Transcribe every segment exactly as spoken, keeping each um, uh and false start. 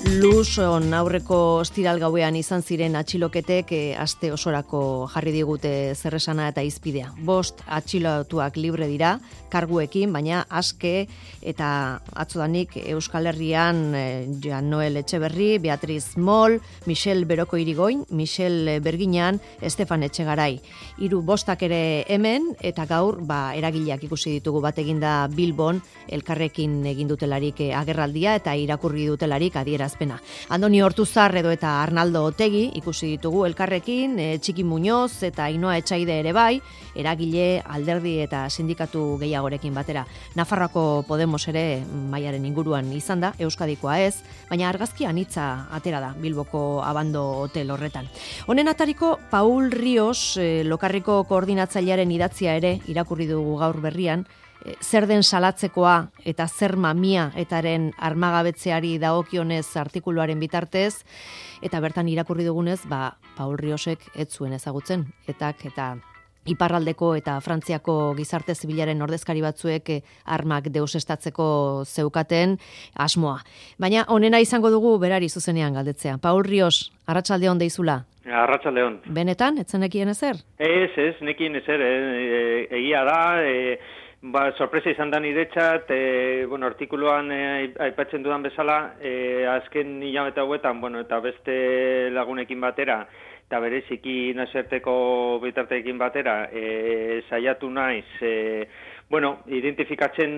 Luson aurreko ostiral gauean izan ziren atxiloketek e, aste osorako jarri digute zerresana eta izpidea. Bost atxilotuak libre dira, karguekin, baina aske eta atzodanik Euskal Herrian e, Jan Noel Etxeberri, Beatriz Mol, Michel Beroko Irigoin, Michel Berginan, Estefan Etxegarai. Hiru bostak ere hemen eta gaur ba, eragileak ikusi ditugu bat eginda Bilbon, elkarrekin egin dutelarik agerraldia eta irakurri dutelarik adiera azpena. Andoni Hortuzar edo eta Arnaldo Otegi ikusi ditugu elkarrekin, e, Txiki Muñoz eta Ainoa Etxaide ere bai, eragile, alderdi eta sindikatu gehiagorekin batera. Nafarroako Podemos ere maiaren inguruan izan da, Euskadikoa ez, baina argazki anitza atera da Bilboko Abando Hotel horretan. Honen atariko Paul Rios, e, Lokarriko koordinatzailearen idatzia ere irakurri dugu gaur berrian, zer den salatzekoa eta zer mamia etaren armagabetzeari dagokionez artikuluaren bitartez, eta bertan irakurri dugunez, ba, Paul Riosek ez zuen ezagutzen, etak eta Iparraldeko eta Frantziako gizarte zibilaren ordezkari batzuek armak deusestatzeko zeukaten asmoa. Baina honena izango dugu berari zuzenean galdetzea. Paul Rios, arratsaldeon deizula. Arratsaldeon. Benetan, ez zenekien ezer? Ez, ez, nekien ezer, e, egia da, e, ba, sorpresa izan da niretzat, e, bueno, artikuluan e, aipatzen dudan bezala, e, azken hilabete hauetan, bueno, eta beste lagunekin batera, eta bereziki nazioarteko bitarteekin batera, e, saiatu naiz, e, bueno, identifikatzen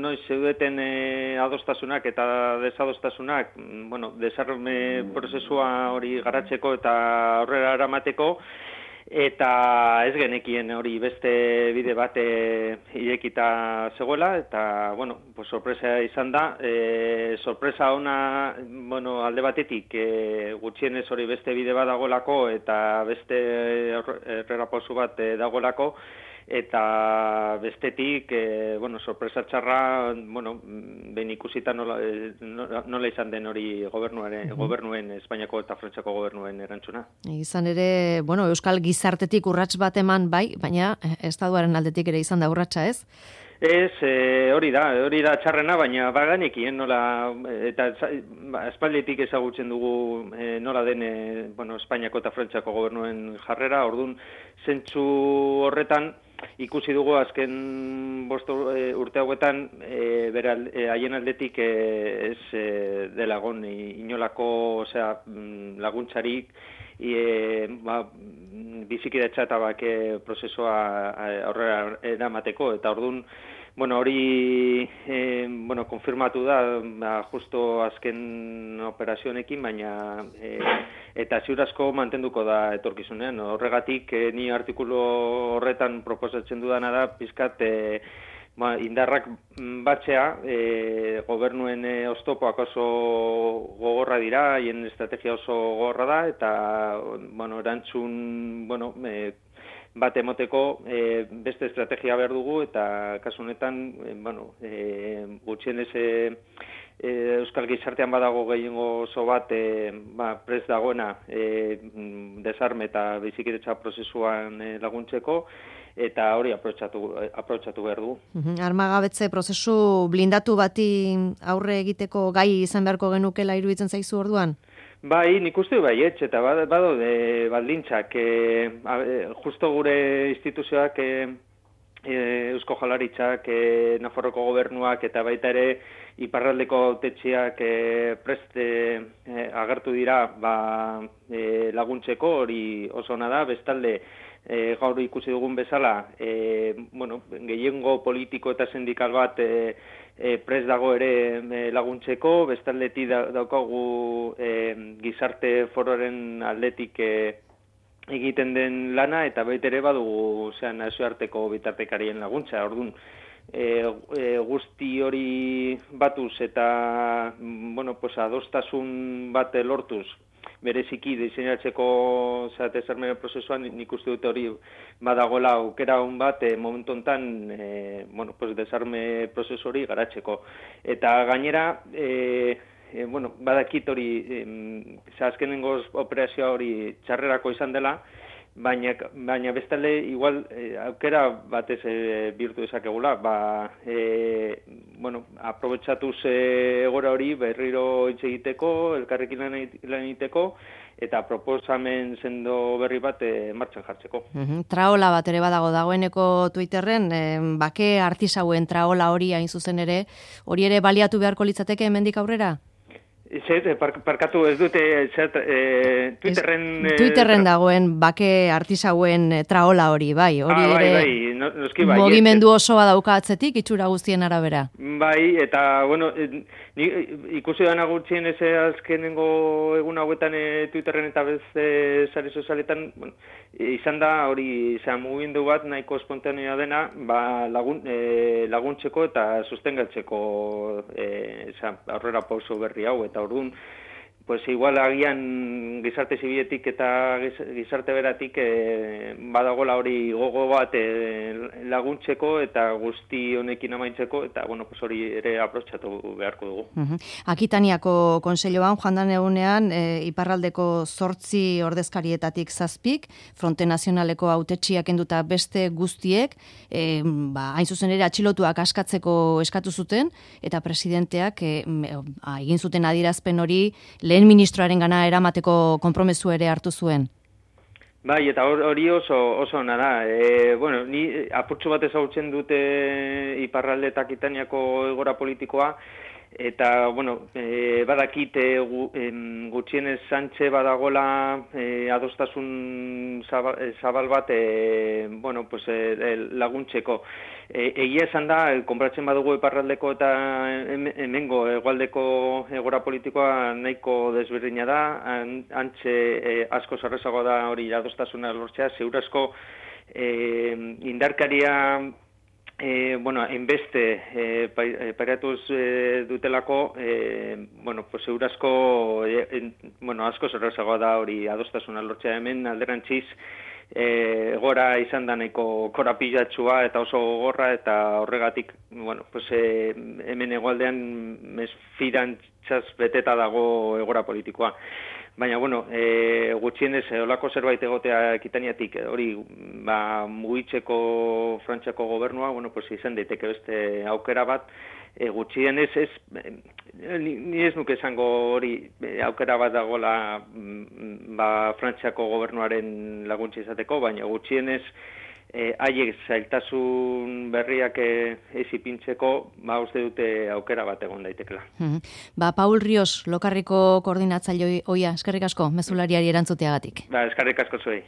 noiz zeudeten e, adostasunak eta desadostasunak, bueno, desarme prozesua hori garatzeko eta aurrera eramateko, eta ez genekien hori beste bide bat e, irekita zegoela, eta, bueno, pues sorpresa izan da, e, sorpresa ona, bueno, alde batetik, e, gutxienez hori beste bide bat dagoelako, eta beste errerapozu bat e, dagoelako, eta bestetik, e, bueno, sorpresa txarra, bueno, behin ikusita nola, nola, nola izan den hori gobernuaren, mm-hmm. gobernuen, Espainiako eta Frantziako gobernuen erantzuna. Izan ere, bueno, Euskal gizartetik urrats bat eman bai, baina Estatuaren aldetik ere izan da urratsa, ez? Ez, e, hori da, hori da txarrena, baina baganekien nola, eta espalditik ezagutzen dugu e, nola den, e, bueno, Espainiako eta Frantziako gobernuen jarrera, orduan zentzu horretan, ikusi dugu azken bost urte hauetan e, bere e, haien aldetik e, ez e, delagon inolako, osea, laguntzarik e, ba, bizikidetza eta bake prozesua aurrera eramateko, eta orduan, bueno, hori eh, bueno, konfirmatu da, ba, justo azken operazionekin, baina eh, eta ziurazko mantenduko da etorkizunean. Horregatik, eh, ni artikulu horretan proposatzen dudana da, pizkat eh, ba, indarrak batzea, eh, gobernuen eh, oztopoak oso gogorra dira, haien estrategia oso gogorra da, eta bueno, erantzun, bueno, eh, bat emoteko e, beste estrategia behar dugu, eta kasu honetan, e, bueno, e, gutxienez e, e, Euskal gizartean badago gehiengo oso bat e, ba, prest dagoena e, desarme eta bizikidetza prozesuan e, laguntzeko, eta hori aprobetxatu, aprobetxatu behar dugu. Armagabetze prozesu blindatu bati aurre egiteko gai izan beharko genukela iruditzen zaizu orduan? Bai, nik uste bai etx, eta bado de baldintzak, e, justo gure instituzioak, e, e, Eusko Jaurlaritzak, e, Nafarroko gobernuak, eta baita ere Iparraldeko hautetsiak e, prest e, agertu dira ba, e, laguntzeko, hori oso ona da, bestalde, e, gaur ikusi dugun bezala, e, bueno, gehiengo politiko eta sindikal bat e, E, prest dago ere e, laguntzeko, bestaldetik da, daukagu e, gizarte fororen aldetik e, egiten den lana, eta baita ere badugu zean nazioarteko bitartekarien laguntza. Orduan, e, e, guzti hori batuz eta bueno, pues, adostasun bat lortuz, bereziki diseinatzeko desarme prozesuan, nik uste dute hori badagoela aukera hon bat e, momentu honetan e, bueno, pues, desarme prozesu hori garatzeko. Eta gainera, e, e, bueno, badakit hori, e, azkenengoz operazioa hori txarrerako izan dela, baina, baina bestale igual e, aukera batez e, bihurtu dezakegula, ba, e, bueno, aprobetxatuz e, egora hori berriro hitz egiteko, elkarrekin lan egiteko, eta proposamen sendo berri bat e, martxan jartzeko. Uhum, traola bat ere badago dagoeneko Twitterren, e, bake artisauen traola hori hain zuzen ere, hori ere baliatu beharko litzateke hemendik aurrera? Zer, parkatu ez dute zer, e, Twitterren... Ez, Twitterren dagoen bake artisauen traola hori, bai. Hori ah, bai, ere bai, no, noski bai. Mugimendu osoa dauka atzetik, itxura guztien arabera. Bai, eta, bueno, ni, ikusi dana gutxien ez azkenengo egun hauetan e, Twitterren eta beste sare sozialetan, bueno, izan da hori izan mugimendu bat nahiko espontanea dena, ba, lagun, e, laguntzeko eta sustengatzeko e, aurrera pauso berri hau, eta orduan, pues igual agian gizarte zibiletik eta gizarte beratik e, badagola hori gogo bat e, laguntzeko eta guzti honekin amaitzeko, eta bueno, pues hori ere aprobetxatu beharko dugu. Uh-huh. Akitaniako konseilloan joan dan egunean e, iparraldeko zortzi ordezkarietatik zazpik, Fronte Nazionaleko hautetsiak enduta beste guztiek, e, ba, hain zuzen ere atxilotuak askatzeko eskatu zuten, eta presidenteak e, egin zuten adierazpen hori lehen ministroaren gana eramateko konpromesu ere hartu zuen. Bai, eta hori oso oso ona da. E, bueno, ni apurtxo bat ezagutzen dute iparralde eta Akitaniako egoera politikoa, eta, bueno, e, badakit e, gu, em, gutxienez Sánchez badagola e, adostasun zabal, zabal bat e, bueno, pues, e, laguntzeko. E, egia esan da, konpratzen badugu iparraldeko eta hemengo hegoaldeko egora politikoa nahiko desberdina da, antxe e, asko zarrezago da hori adostasuna lortzea, zeurazko e, indarkaria E, bueno, enbeste e, pairatuz e, dutelako, e, bueno, pues eurazko, e, en, bueno, asko zerrezagoa da hori adostasuna lortzea hemen, alderantziz, e, gora izan da nahiko korapilatxua eta oso gogorra, eta horregatik, bueno, pues e, hemen egualdean mesfidantzaz beteta dago egora politikoa. Baina, bueno, e, gutxienez, olako zerbait egotea Akitaniatik, hori, ba, mugitzeko Frantziako gobernua, bueno, pues izan daiteke beste aukera bat, e, gutxienez ez, ni, ni ez nuke esango hori aukera bat dagoela ba, Frantziako gobernuaren laguntza izateko, baina gutxienez, E, haiek zailtasun berriak e, ez ipintzeko, ba, uste dute aukera bat egon daitekela. Mm-hmm. Ba, Paul Rios, Lokarriko koordinatzaile oia, eskerrik asko, mezulariari erantzuteagatik. Ba, eskerrik asko zuei.